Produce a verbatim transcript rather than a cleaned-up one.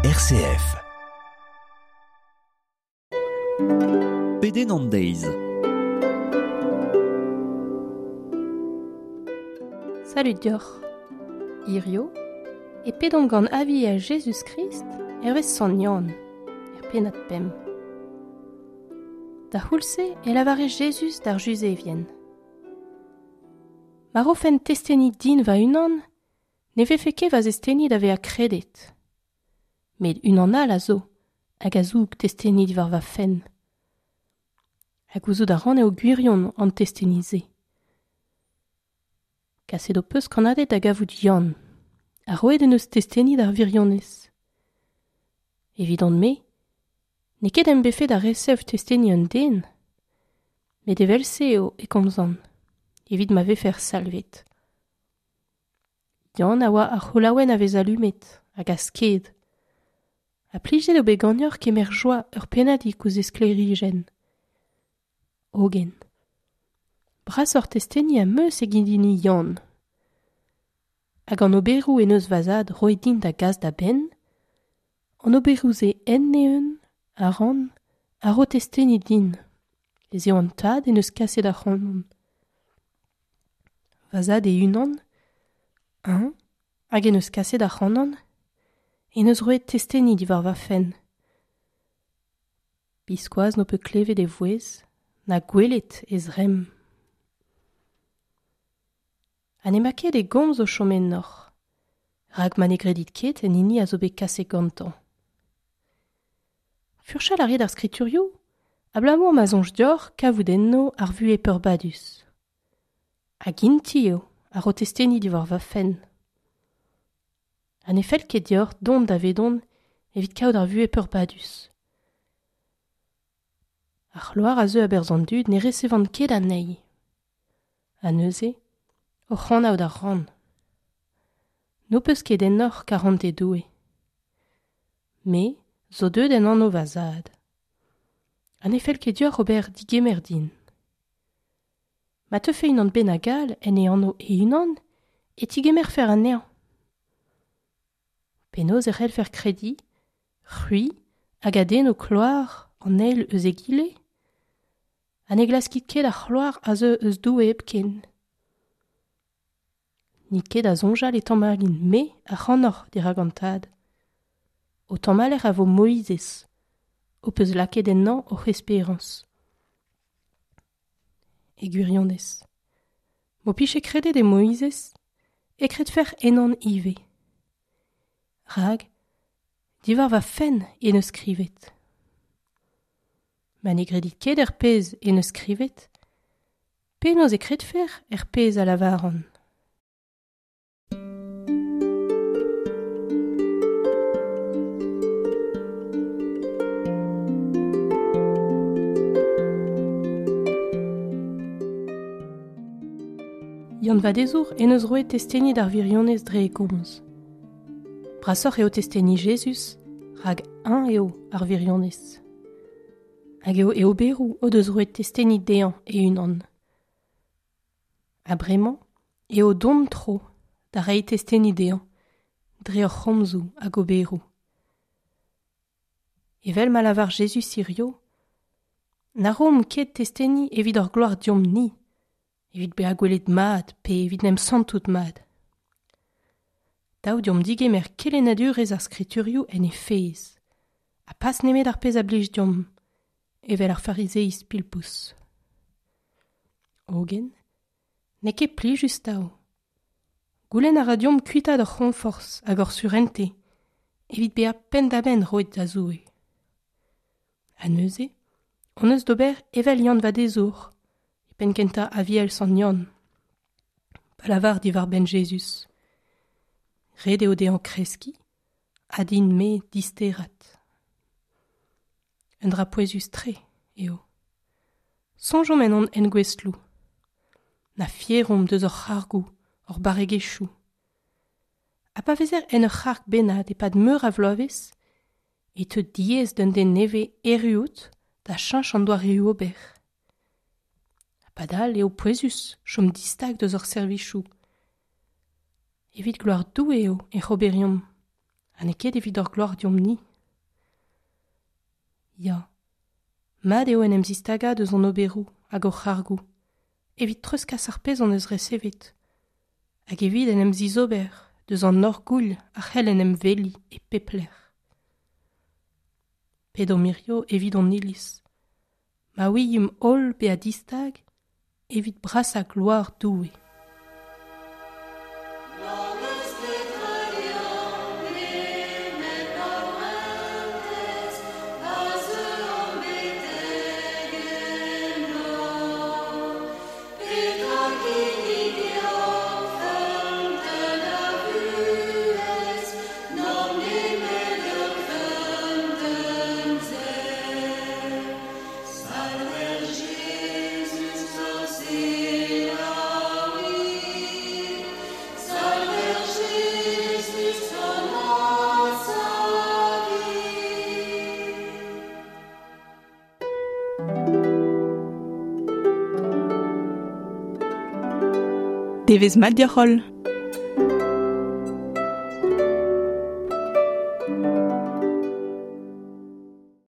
R C F. Pedenn an deiz. Salud deoc'h. Hirio, e pedomp gant aviel Jezuz-Krist hervez Sant Yann, er pennad pemp. Da c'houlz-se e lavare Jezuz d'ar Juzevien. Ma rofen testeni din va-unan, ne vefe ket va zesteni da vezañ kredet. Met unan all a zo, hag a zoug testeni diwar va fenn. Ha gouzout a ran eo gwirion an testeni-se. Kaset ho peus kannaded da gavout Yann, ha roet en eus testeni d'ar wirionez. Evidon-me, n'eo ket em befe da resev testeni un den, met evel-se eo e komzan, evit ma vefer salvet. Yann a oa ar c'holaouenn a vez alumet, hag a sked. Ha plijet eo bet ganeoc'h kemer joa ur pennadig ouzh e sklêrijenn. Hogen, brasoc'h testeni am eus eget hini Yann. Hag an oberoù en eus va zad roet din da gas da benn, an oberoù-se en-eeun a ran a ro testeni din, ez eo an tad en eus kaset ac'hanon. Va zad e-unan, eñ, hag en eus kaset ac'hanon, en eus roet testeni diwar va fenn. Biskoazh n'ho peus klevet e vouezh, na gwelet e zremm. Ha n'emañ ket e gomz o chom ennoc'h, rak ma ne gredit ket en hini a zo bet kaset gantañ. Furchal a rit ar skriturioù, abalamour ma soñj deoc'h kavout enno ar vuhez peurbadus. Hag int-i eo a ro testeni diwar va fenn. Ha ne fell ket deoc'h dont davedon evit kaout ar vuhez peurbadus. Ar c'hloar a zeu a-berzh an dud ne resevan ket anezhi. Ha neuze, oc'h anaout a ran. N'ho peus ket ennoc'h karantez Doue. Me zo deuet en anv va zad. Ha ne fell ket deoc'h ober digemer din. Ma teufe unan bennak all en e anv e-unan, e tigemerfer anezhañ. Penaos e c'hellfer krediñ, c'hwi hag a den ho kloar an eil eus egile, ha ne glaskit ket ar c'hloar a zeu eus Doue hepken. N'it ket da soñjal e tamallin me ac'hanoc'h dirak an tad. Ho tamaller a vo Moizez, ho peus lakaet ennañ hoc'h esperañs. E gwirionez. M'ho pije kredet e Moizez, e kredfec'h ennon ivez. Rak, diwar va fenn en eus skrivet. Ma ne gredit ket er pezh en eus skrivet, penaos e kredfec'h er pezh a lavaran. Yann Vadezour en eus roet testeni d'ar wirionez dre e gomz. Brasoc'h eo testeni Jezuz, rak eñ eo ar wirionez. Hag eo e oberoù o deus roet testeni dezhañ e-unan. Ha bremañ eo d'hon tro da reiñ testeni dezhañ dre hor c'homzoù hag oberoù. Evel ma lavar Jezuz hirio, na roomp ket testeni evit hor gloar deomp-ni, evit bezañ gwelet mat pe evit n'em santout mat. Dav deomp digemer kelennadurezh ar skriturioù en he fezh, ha pas nemet ar pezh a blij deomp, evel ar farizeiz pilpous. Hogen, n'eo ket plijus tav. Goulenn a ra deomp kuitaat hor c'honforzh hag hor surentez, evit bezañ penn-da-benn roet da Zoue. Ha neuze, hon eus d'ober evel Yann Vadezour, e penn-kentañ Aviel Sant Yann, pa lavar diwar-benn Jezuz. Ret eo dezhañ kreskiñ, ha din-me disterat. Un dra pouezus-tre eo. Soñjomp en hon engouestloù. Na fieromp deus hor c'hargoù, hor barregezhioù. Ha pa vezer en ur c'harg bennak e-pad meur a vloavezh, e teu diaes d'un den nevez erruout da cheñch an doareoù ober. Ha padal eo pouezus chom distag deus hor servijoù. Evit gloar Doue eo ec'h oberiomp, Ha n'eo ket evit hor gloar deomp-ni. Ya, mat eo en em zistagañ eus hon oberoù hag hor c'hargoù, evit treuzkas ar pezh hon eus resevet, hag evit en em zizober deus an orgouilh a c'hell en em veliñ e pep lec'h. Pedomp hirio evit hon iliz, ma ouiimp holl bezañ distag evit brasañ gloar Doue. Devezh mat deoc'h holl.